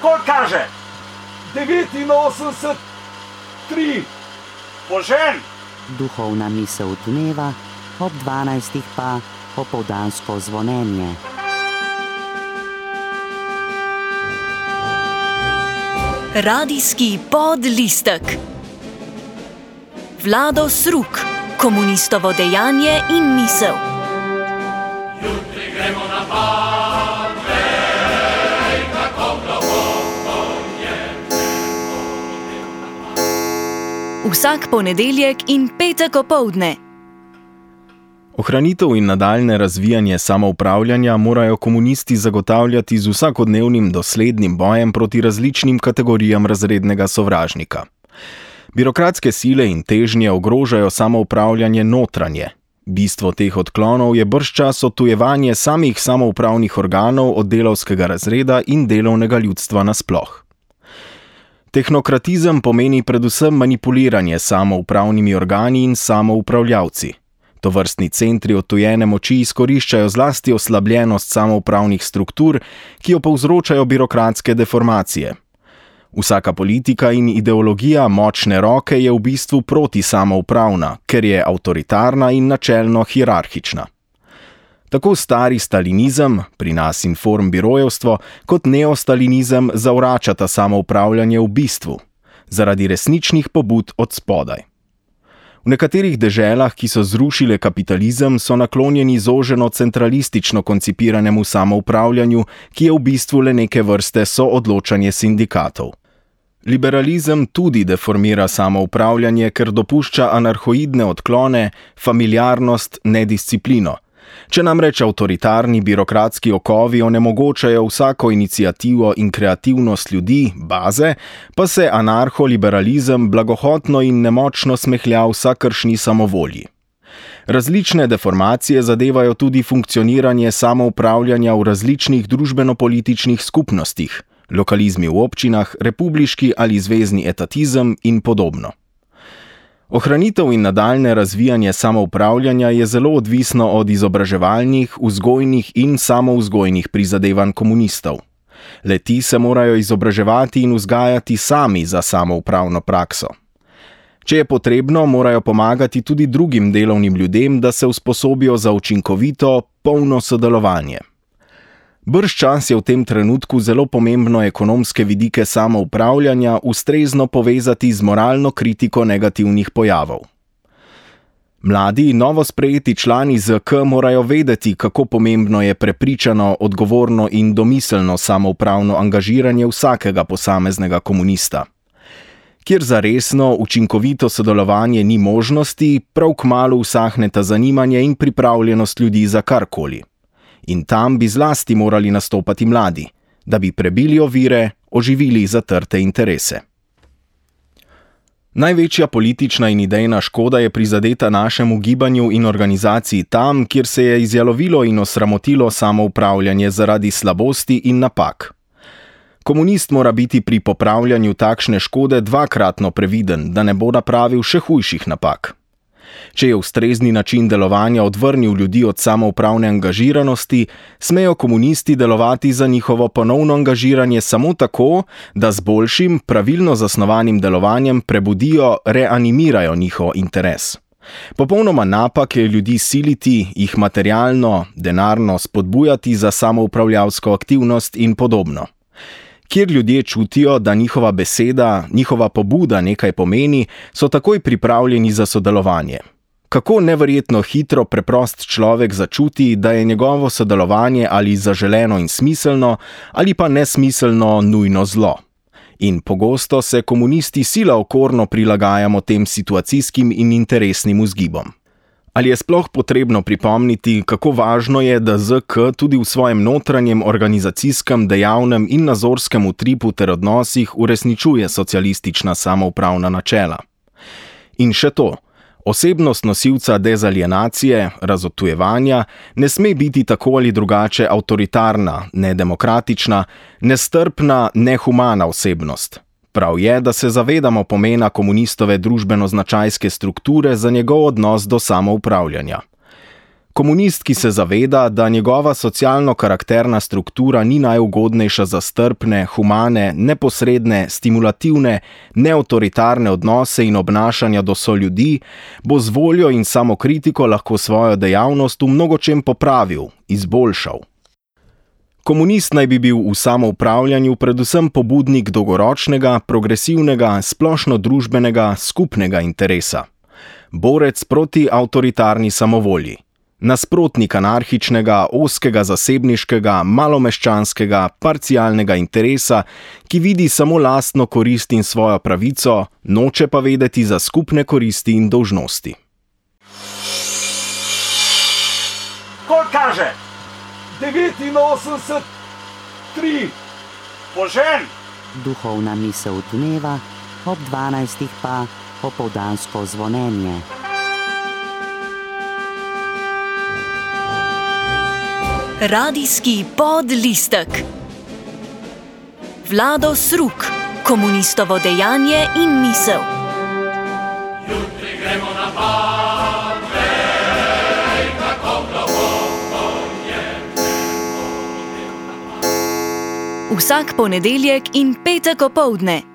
Koliko kaže? 89,3. Požen! Duhovna misel dneva, ob 12 pa popoldansko zvonjenje. Radijski podlistek. Vlado Sruk, komunistovo dejanje in misel. Jutri gremo na Parnej, kako globoko je nebo. Vsak ponedeljek in petek opoldne. Ohranitev in nadaljne razvijanje samoupravljanja morajo komunisti zagotavljati z vsakodnevnim doslednim bojem proti različnim kategorijam razrednega sovražnika. Birokratske sile in težnje ogrožajo samoupravljanje notranje. Bistvo teh odklonov je bržčas odtujevanje samih samoupravnih organov od delavskega razreda in delovnega ljudstva nasploh. Tehnokratizem pomeni predvsem manipuliranje samoupravnimi organi in samoupravljavci. Tovrstni centri odtujene moči izkoriščajo zlasti oslabljenost samoupravnih struktur, ki jo povzročajo birokratske deformacije. Vsaka politika in ideologija močne roke je v bistvu proti samoupravna, ker je avtoritarna in načelno hierarhična. Tako stari stalinizem, pri nas informbirojevstvo, kot neostalinizem zavračata samoupravljanje v bistvu, zaradi resničnih pobud od spodaj. V nekaterih deželah, ki so zrušile kapitalizem, so naklonjeni zoženo centralistično koncipiranemu samoupravljanju, ki je v bistvu le neke vrste soodločanje sindikatov. Liberalizem tudi deformira samoupravljanje, ker dopušča anarhoidne odklone, familiarnost, nedisciplino. Če namreč avtoritarni birokratski okovi onemogočajo vsako iniciativo in kreativnost ljudi, baze, pa se anarholiberalizem blagohotno in nemočno smehlja vsakršni samovolji. Različne deformacije zadevajo tudi funkcioniranje samoupravljanja v različnih družbeno-političnih skupnostih, lokalizmi v občinah, republiški ali zvezni etatizem in podobno. Ohranitev in nadaljne razvijanje samoupravljanja je zelo odvisno od izobraževalnih, vzgojnih in samovzgojnih prizadevanj komunistov. Le-ti se morajo izobraževati in vzgajati sami za samoupravno prakso. Če je potrebno, morajo pomagati tudi drugim delovnim ljudem, da se usposobijo za učinkovito, polno sodelovanje. Bržčas je v tem trenutku zelo pomembno ekonomske vidike samoupravljanja ustrezno povezati z moralno kritiko negativnih pojavov. Mladi, novo sprejeti člani ZK morajo vedeti, kako pomembno je prepričano, odgovorno in domiselno samoupravno angažiranje vsakega posameznega komunista. Kjer za resno, učinkovito sodelovanje ni možnosti, prav kmalu usahneta zanimanje in pripravljenost ljudi za karkoli. In tam bi zlasti morali nastopati mladi, da bi prebili ovire, oživili zatrte interese. Največja politična in idejna škoda je prizadeta našemu gibanju in organizaciji tam, kjer se je izjalovilo in osramotilo samoupravljanje zaradi slabosti in napak. Komunist mora biti pri popravljanju takšne škode dvakratno previden, da ne bo napravil še hujših napak. Če je ustrezni način delovanja odvrnil ljudi od samoupravne angažiranosti, smejo komunisti delovati za njihovo ponovno angažiranje samo tako, da z boljšim, pravilno zasnovanim delovanjem prebudijo, reanimirajo njihov interes. Popolnoma napak je ljudi siliti, jih materialno, denarno spodbujati za samoupravljavsko aktivnost in podobno. Kjer ljudje čutijo, da njihova beseda, njihova pobuda nekaj pomeni, so takoj pripravljeni za sodelovanje. Kako neverjetno hitro preprost človek začuti, da je njegovo sodelovanje ali zaželeno in smiselno, ali pa nesmiselno nujno zlo. In pogosto se komunisti sila okorno prilagajamo tem situacijskim in interesnim vzgibom. Ali je sploh potrebno pripomniti, kako važno je, da ZK tudi v svojem notranjem organizacijskem, dejavnem in nazorskem utripu ter odnosih uresničuje socialistična samoupravna načela? In še to, osebnost nosilca dezalienacije, razodtujevanja, ne sme biti tako ali drugače avtoritarna, nedemokratična, nestrpna, nehumana osebnost. Prav je, da se zavedamo pomena komunistove družbeno-značajske strukture za njegov odnos do samoupravljanja. Komunist, ki se zaveda, da njegova socialno-karakterna struktura ni najugodnejša za strpne, humane, neposredne, stimulativne, neautoritarne odnose in obnašanja do soljudi, bo z voljo in samokritiko lahko svojo dejavnost v mnogočem popravil, izboljšal. Komunist naj bi bil v samoupravljanju predvsem pobudnik dolgoročnega, progresivnega, splošno-družbenega, skupnega interesa. Borec proti avtoritarni samovolji. Nasprotnik anarhičnega, ozkega zasebniškega, malomeščanskega, parcialnega interesa, ki vidi samo lastno korist in svojo pravico, noče pa vedeti za skupne koristi in dolžnosti. Koliko kaže? 89, 3. Požen! Duhovna misel dneva, ob 12. pa popoldansko zvonjenje. Radijski podlistek. Vlado Sruk, komunistovo dejanje in misel. Jutri gremo na pad, vej, kako globoko je. Vsak ponedeljek in petek opoldne